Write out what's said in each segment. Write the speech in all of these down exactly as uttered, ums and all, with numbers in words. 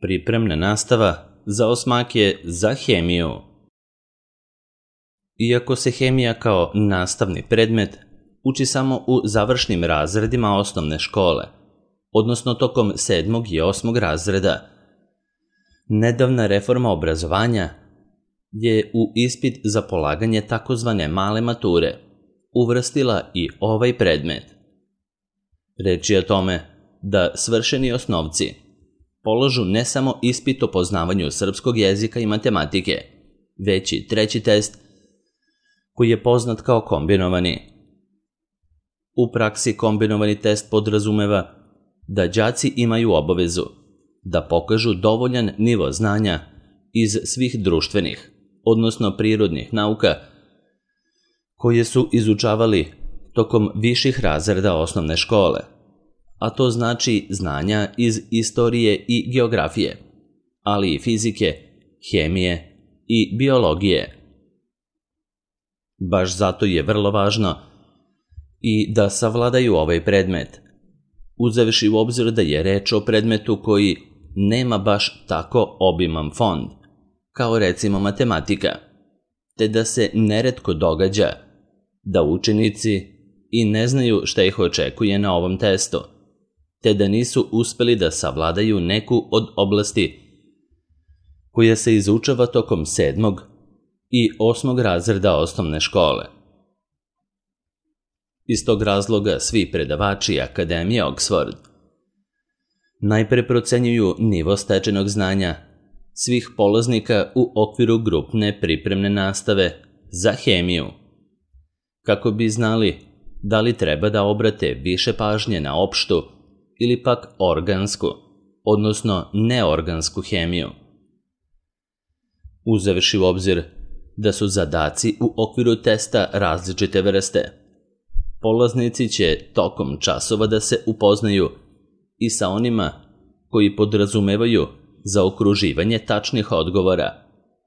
Pripremna nastava za osmake za hemiju. Iako se hemija kao nastavni predmet uči samo u završnim razredima osnovne škole, odnosno tokom sedmog i osmog razreda, nedavna reforma obrazovanja je u ispit za polaganje takozvane male mature uvrstila i ovaj predmet. Reč je o tome da svršeni osnovci polažu ne samo ispit o poznavanju srpskog jezika i matematike, već i treći test koji je poznat kao kombinovani. U praksi kombinovani test podrazumeva da đaci imaju obavezu da pokažu dovoljan nivo znanja iz svih društvenih, odnosno prirodnih nauka koje su izučavali tokom viših razreda osnovne škole, a to znači znanja iz istorije i geografije, ali i fizike, hemije i biologije. Baš zato je vrlo važno i da savladaju ovaj predmet, uzevši u obzir da je reč o predmetu koji nema baš tako obiman fond, kao recimo matematika, te da se neretko događa da učenici i ne znaju šta ih očekuje na ovom testu, te da nisu uspeli da savladaju neku od oblasti koja se izučava tokom sedmog i osmog razreda osnovne škole. Iz tog razloga svi predavači Akademije Oxford najpre procenjuju nivo stečenog znanja svih polaznika u okviru grupne pripremne nastave za hemiju, kako bi znali da li treba da obrate više pažnje na opštu ili pak organsku, odnosno neorgansku hemiju. Uzevši u obzir da su zadaci u okviru testa različite vrste, polaznici će tokom časova da se upoznaju i sa onima koji podrazumevaju zaokruživanje tačnih odgovora,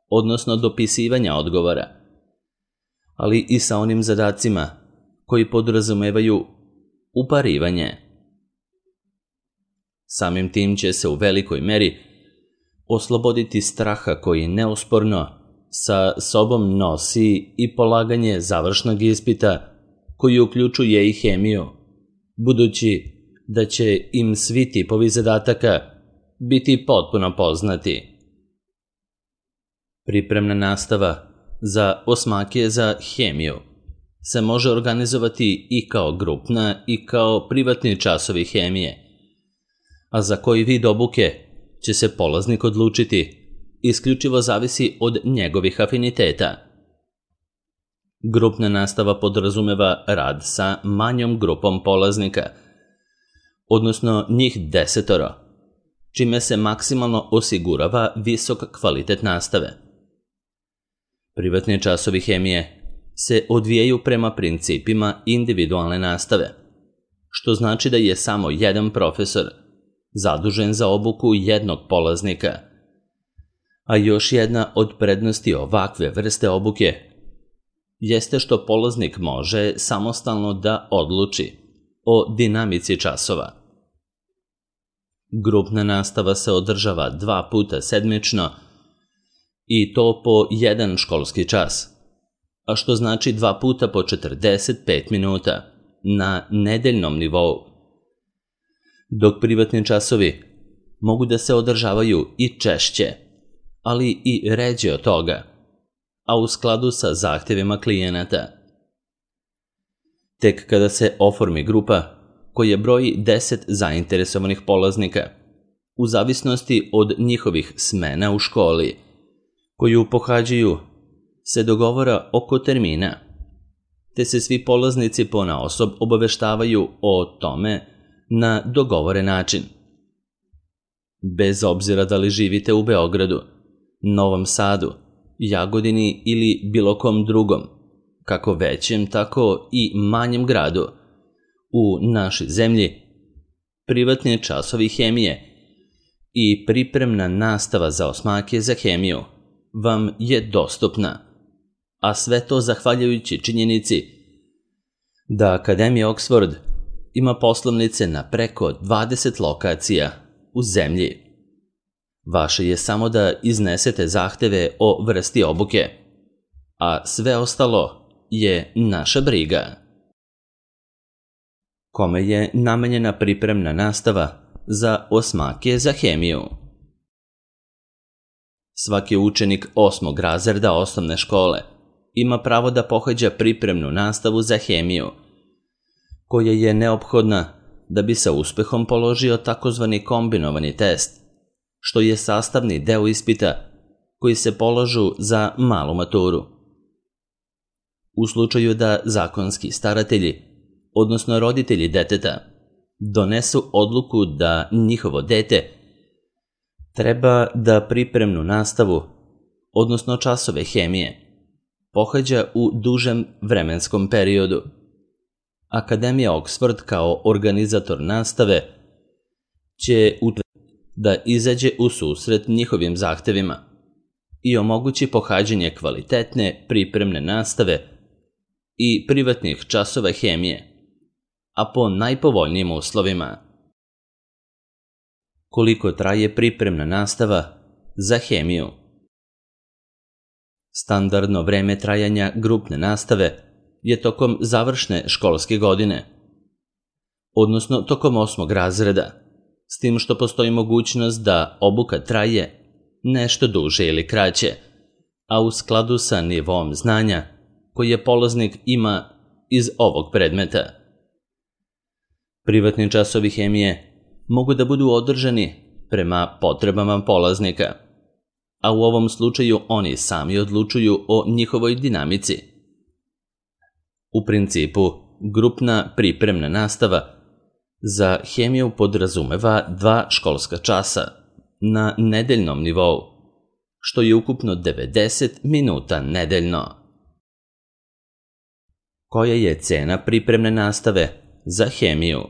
odnosno dopisivanja odgovora, ali i sa onim zadacima koji podrazumevaju uparivanje. Samim tim će se u velikoj meri osloboditi straha koji neosporno sa sobom nosi i polaganje završnog ispita koji uključuje i hemiju, budući da će im svi tipovi zadataka biti potpuno poznati. Pripremna nastava za osmake za hemiju se može organizovati i kao grupna i kao privatni časovi hemije, a za koji vid obuke će se polaznik odlučiti isključivo zavisi od njegovih afiniteta. Grupna nastava podrazumeva rad sa manjom grupom polaznika, odnosno njih desetoro, čime se maksimalno osigurava visok kvalitet nastave. Privatni časovi hemije se odvijaju prema principima individualne nastave, što znači da je samo jedan profesor zadužen za obuku jednog polaznika, a još jedna od prednosti ovakve vrste obuke jeste što polaznik može samostalno da odluči o dinamici časova. Grupna nastava se održava dva puta sedmično i to po jedan školski čas, a što znači dva puta po četrdeset pet minuta na nedeljnom nivou, dok privatni časovi mogu da se održavaju i češće, ali i ređe od toga, a u skladu sa zahtevima klijenata. Tek kada se oformi grupa koja broji deset zainteresovanih polaznika, u zavisnosti od njihovih smena u školi, koju pohađaju, se dogovara oko termina, te se svi polaznici ponaosob obaveštavaju o tome na dogovoren način. Bez obzira da li živite u Beogradu, Novom Sadu, Jagodini ili bilo kom drugom, kako većem, tako i manjem gradu, u našoj zemlji, privatni časovi hemije i pripremna nastava za osmake za hemiju vam je dostupna, a sve to zahvaljujući činjenici da Akademija Oxford ima poslovnice na preko dvadeset lokacija u zemlji. Vaše je samo da iznesete zahteve o vrsti obuke, a sve ostalo je naša briga. Kome je namenjena pripremna nastava za osmake za hemiju? Svaki učenik osmog razreda osnovne škole ima pravo da pohađa pripremnu nastavu za hemiju, koja je neophodna da bi sa uspehom položio takozvani kombinovani test, što je sastavni deo ispita koji se polažu za malu maturu. U slučaju da zakonski staratelji, odnosno roditelji deteta, donesu odluku da njihovo dete treba da pripremnu nastavu, odnosno časove hemije, pohađa u dužem vremenskom periodu, Akademija Oxford kao organizator nastave će utvrditi da izađe u susret njihovim zahtevima i omogući pohađanje kvalitetne pripremne nastave i privatnih časova hemije, a po najpovoljnijim uslovima. Koliko traje pripremna nastava za hemiju? Standardno vreme trajanja grupne nastave je tokom završne školske godine, odnosno tokom osmog razreda, s tim što postoji mogućnost da obuka traje nešto duže ili kraće, a u skladu sa nivom znanja koje polaznik ima iz ovog predmeta. Privatni časovi hemije mogu da budu održani prema potrebama polaznika, a u ovom slučaju oni sami odlučuju o njihovoj dinamici. U principu, grupna pripremna nastava za hemiju podrazumeva dva školska časa na nedeljnom nivou, što je ukupno devedeset minuta nedeljno. Koja je cena pripremne nastave za hemiju?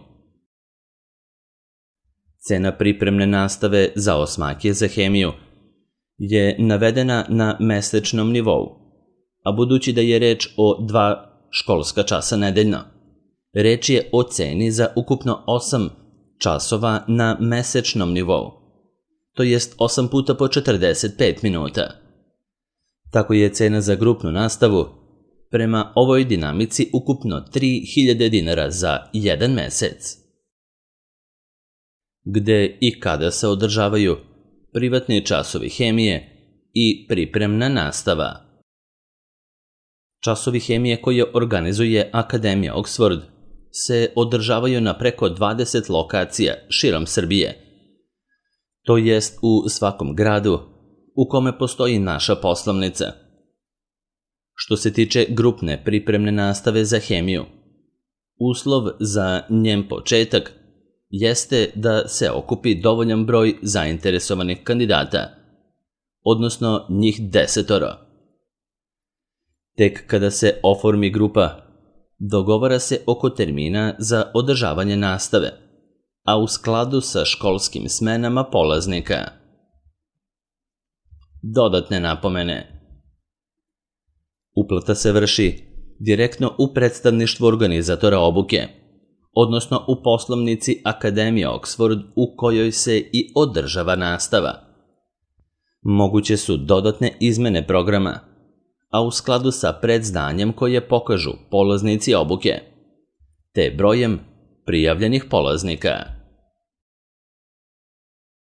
Cena pripremne nastave za osmake za hemiju je navedena na mesečnom nivou, a budući da je reč o dva školska časa nedeljno, reč je o ceni za ukupno osam časova na mesečnom nivou, to jest osam puta po četrdeset pet minuta. Tako je cena za grupnu nastavu prema ovoj dinamici ukupno tri hiljade dinara za jedan mesec. Gde i kada se održavaju privatni časovi hemije i pripremna nastava? Časovi hemije koje organizuje Akademija Oxford se održavaju na preko dvadeset lokacija širom Srbije, to jest u svakom gradu u kome postoji naša poslovnica. Što se tiče grupne pripremne nastave za hemiju, uslov za njen početak jeste da se okupi dovoljan broj zainteresovanih kandidata, odnosno njih desetoro. Tek kada se oformi grupa, dogovara se oko termina za održavanje nastave, a u skladu sa školskim smenama polaznika. Dodatne napomene. Uplata se vrši direktno u predstavništvu organizatora obuke, odnosno u poslovnici Akademije Oxford u kojoj se i održava nastava. Moguće su dodatne izmene programa, a u skladu sa predzdanjem koje pokažu polaznici obuke, te brojem prijavljenih polaznika.